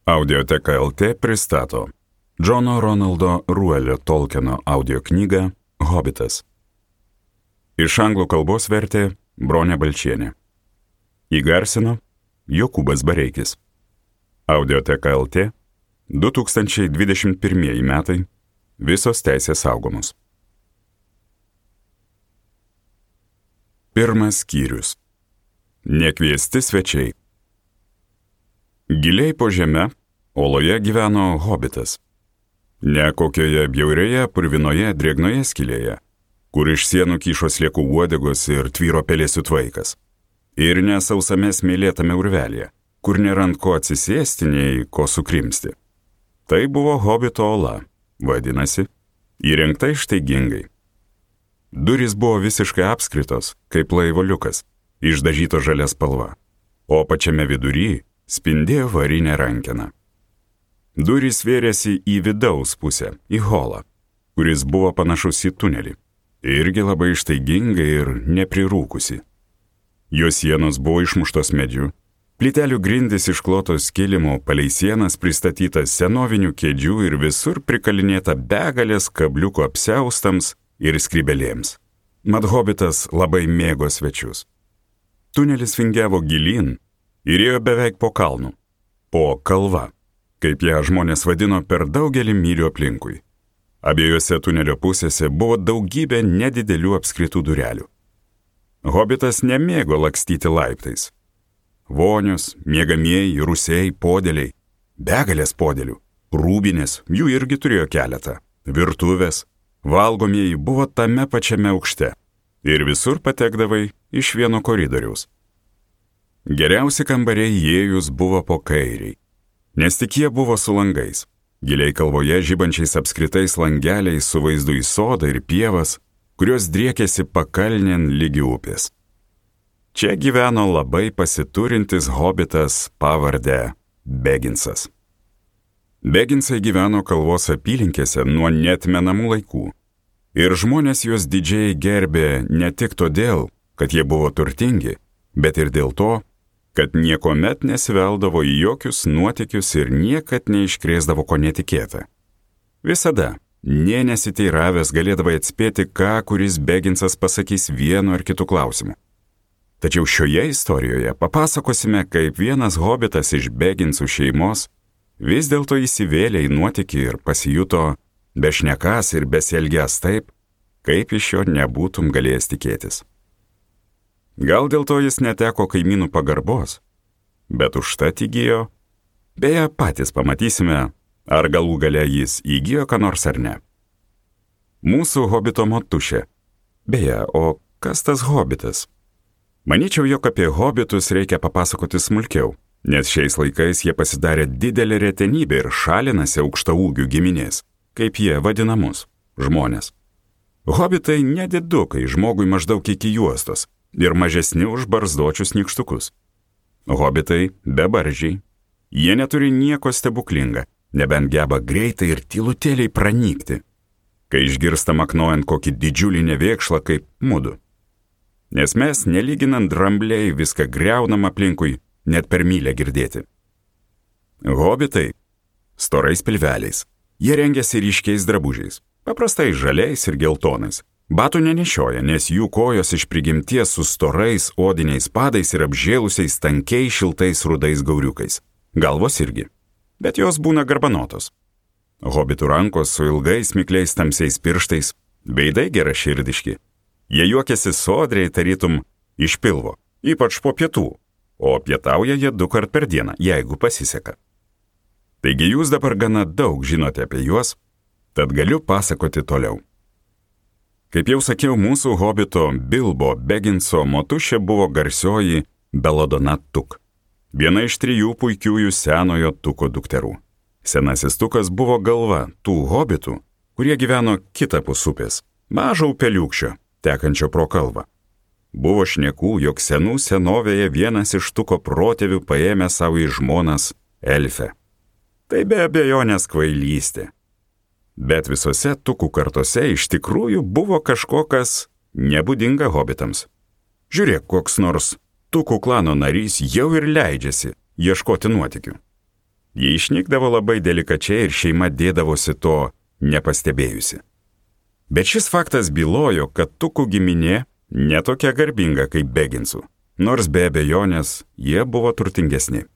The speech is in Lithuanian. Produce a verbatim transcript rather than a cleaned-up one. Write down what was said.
Audioteka L T pristato Džono Ronaldo Ruelio Tolkieno audio knygą Hobitas. Iš anglų kalbos vertė Bronė Balčienė. Įgarsino Jokūbas Bareikis. Audioteka L T du tūkstančiai dvidešimt pirmieji metai. Visos teisės saugomos. Pirmas skyrius. Nekviesti svečiai. Giliai po žeme, oloje gyveno hobitas. Ne kokioje bjaurioje, purvinoje, drėgnoje skylėje, kur iš sienų kyšo sliekų uodegos ir tvyro pelėsių tvaikas. Ir ne sausame smėlėtame urvelėje, kur nėra ant ko atsisėsti, nei ko sukrimsti. Tai buvo hobito ola, vadinasi, įrengta ištaigingai. Durys buvo visiškai apskritos, kaip laivo liukas, išdažyto žalia spalva, o pačiame vidury spindėjo varinė rankena. Durys vėrėsi į vidaus pusę, į holą, kuris buvo panašus į tunelį, irgi labai ištaigingai ir neprirūkusi. Jo sienos buvo išmuštos medžiu, plytelių grindys išklotos kilimo, palei sienas pristatytas senovinių kėdžių ir visur prikalinėta begalės kabliukų apsiaustams ir skrybelėms. Mat hobitas labai mėgo svečius. Tunelis vingiavo gilyn ir ėjo beveik po kalnu, po kalva, kaip ją žmonės vadino per daugelį mylių aplinkui. Abiejose tunelio pusėse buvo daugybė nedidelių apskritų durelių. Hobitas nemėgo lakstyti laiptais. Vonios, miegamieji, rūsiai, podėliai, begalės podėlių, rūbinės, jų irgi turėjo keletą, virtuvės, valgomieji buvo tame pačiame aukšte ir visur patekdavai iš vieno koridoriaus. Geriausi kambariai įėjus buvo po kairiai, nes tik jie buvo su langais, giliai kalvoje žibančiais apskritais langeliais su vaizdu į sodą ir pievas, kurios driekėsi pakalnėn lygi upės. Čia gyveno labai pasiturintis hobitas pavarde Beginsas. Beginsai gyveno kalvos apylinkėse nuo neatmenamų laikų, ir žmonės juos didžiai gerbė ne tik todėl, kad jie buvo turtingi, bet ir dėl to, kad niekuomet nesiveldavo į jokius nuotykius ir niekad neiškrėsdavo ko netikėta. Visada, nė nesiteiravęs, galėdavai atspėti, ką kuris Beginsas pasakys vienu ar kitu klausimu. Tačiau šioje istorijoje papasakosime, kaip vienas hobitas iš Beginsų šeimos vis dėlto įsivėlė į nuotykį ir pasijuto bešnekąs ir besielgęs taip, kaip iš jo nebūtum galėjęs tikėtis. Gal dėl to jis neteko kaimynų pagarbos, bet užtat įgijo, beje, patys pamatysime, ar galų gale jis įgijo ką nors ar ne. Mūsų hobito motušė. Beje, o kas tas hobitas? Manyčiau, jog apie hobitus reikia papasakoti smulkiau, nes šiais laikais jie pasidarė didelė retenybė ir šalinasi aukštaūgių giminės, kaip jie vadinamus, žmonės. Hobitai nedidukai, žmogui maždaug iki juostos, ir mažesni už barzdočius nykštukus. Hobitai bebaržiai. Jie neturi nieko stebuklinga, nebent geba greitai ir tylutėliai pranykti, kai išgirsta maknojant kokį didžiulį nevėkšlą kaip mudu. Nes mes, nelyginant drambliai, viską griaunam aplinkui, net per mylę girdėti. Hobitai storais pilveliais. Jie rengiasi ryškiais drabužiais, paprastai žaliais ir geltonais. Batų nenešioja, nes jų kojos iš prigimties su storais odiniais padais ir apžėlusiais tankiai šiltais rudais gauriukais. Galvos irgi, bet jos būna garbanotos. Hobitų rankos su ilgais mikliais tamsiais pirštais, veidai geraširdiški. Jie juokiasi sodriai tarytum iš pilvo, ypač po pietų, o pietauja jie du kart per dieną, jeigu pasiseka. Taigi jūs dabar gana daug žinote apie juos, tad galiu pasakoti toliau. Kaip jau sakiau, mūsų hobito Bilbo Beginso motušė buvo garsioji Belladonna Tuk, viena iš trijų puikiųjų senojo Tuko dukterų. Senasis Tukas buvo galva tų hobitų, kurie gyveno kitapus upės, mažo upeliukščio, tekančio pro kalvą. Buvo šnekų, jog senų senovėje vienas iš Tuko protėvių paėmė savo į žmonas elfę. Tai be abejonės kvailystė. Bet visose Tukų kartose iš tikrųjų buvo kažkokas nebūdinga hobitams. Žiūrėk, koks nors Tukų klano narys jau ir leidžiasi ieškoti nuotykių. Jie išnykdavo labai delikačiai ir šeima dėdavosi to nepastebėjusi. Bet šis faktas bylojo, kad Tukų giminė netokia garbinga kaip Beginsų, nors be abejonės jie buvo turtingesni.